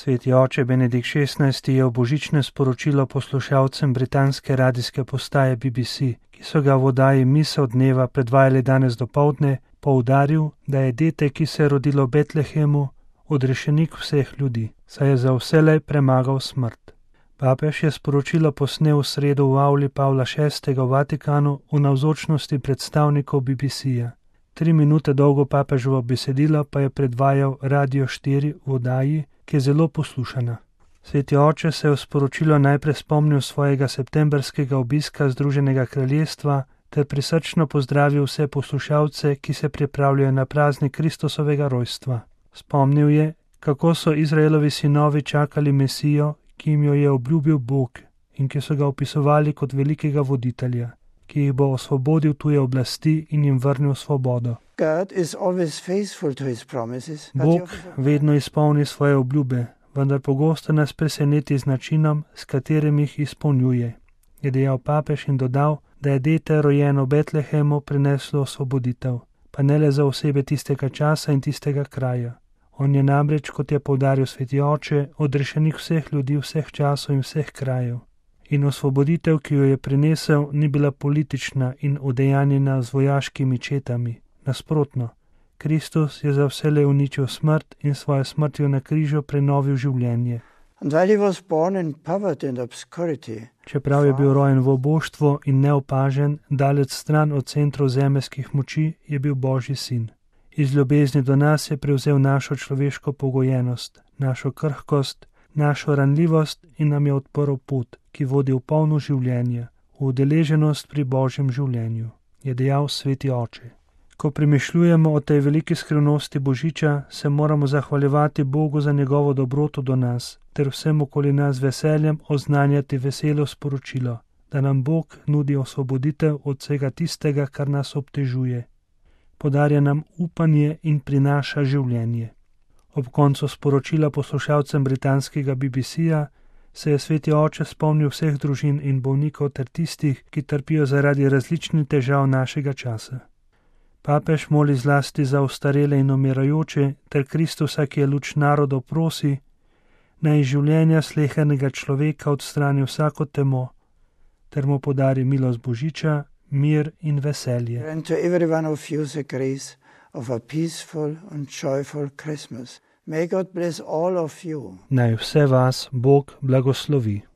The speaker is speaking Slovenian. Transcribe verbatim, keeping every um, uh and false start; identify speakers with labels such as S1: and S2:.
S1: Sveti oče Benedikt šestnajsti je v božične sporočilo poslušalcem britanske radijske postaje B B C, ki so ga v oddaji Misel dneva predvajali danes dopoldne, poudaril, da je dete, ki se je rodilo v Betlehemu, odrešenik vseh ljudi, saj je za vselej premagal smrt. Papež je sporočilo posnel v sredo v avli Pavla šestega v Vatikanu v navzočnosti predstavnikov B B C-ja. Tri minute dolgo papeževo besedilo pa je predvajal Radio štiri v oddaji, ki je zelo poslušana. Sveti oče se je v sporočilo najprej spomnil svojega septembrskega obiska Združenega kraljestva ter prisrčno pozdravil vse poslušalce, ki se pripravljajo na praznik Kristusovega rojstva. Spomnil je, kako so Izraelovi sinovi čakali Mesijo, ki jim jo je obljubil Bog in ki so ga opisovali kot velikega voditelja, ki jih bo osvobodil tuje oblasti in jim vrnil svobodo. Bog vedno izpolni svoje obljube, vendar pogosto nas preseneti z načinom, s katerim jih izpolnjuje, je dejal papež in dodal, da je dete rojeno v Betlehemu prineslo osvoboditev, pa ne le za osebe tistega časa in tistega kraja. On je namreč, kot je poudaril sveti oče, odrešenik vseh ljudi, vseh časov in vseh krajev. In osvoboditev, ki jo je prinesel, ni bila politična in udejanjena z vojaškimi četami. Nasprotno, Kristus je za vselej uničil smrt in svojo smrtjo na križu prenovil življenje. Čeprav je bil rojen v oboštvu in neopažen, daleč stran od centrov zemeljskih moči, je bil Božji sin. Iz ljubezni do nas je prevzel našo človeško pogojenost, našo krhkost, našo ranljivost in nam je odprl pot, ki vodi v polno življenje, v udeleženost pri Božjem življenju, je dejal sveti oče. Ko premišljujemo o tej veliki skrivnosti Božiča, se moramo zahvaljevati Bogu za njegovo dobroto do nas, ter vsem okoli nas veseljem oznanjati veselo sporočilo, da nam Bog nudi osvoboditev od vsega tistega, kar nas obtežuje. Podarja nam upanje in prinaša življenje. Ob koncu sporočila poslušalcem britanskega B B C-ja se je sveti oče spomnil vseh družin in bolnikov ter tistih, ki trpijo zaradi različnih težav našega časa. Papež moli zlasti za ostarele in umirajoče ter Kristusa, ki je luč narodov, prosi, naj iz življenja slehernega človeka odstrani vsako temo, ter mu podari milost Božiča, mir in veselje. Naj vse vas Bog blagoslovi.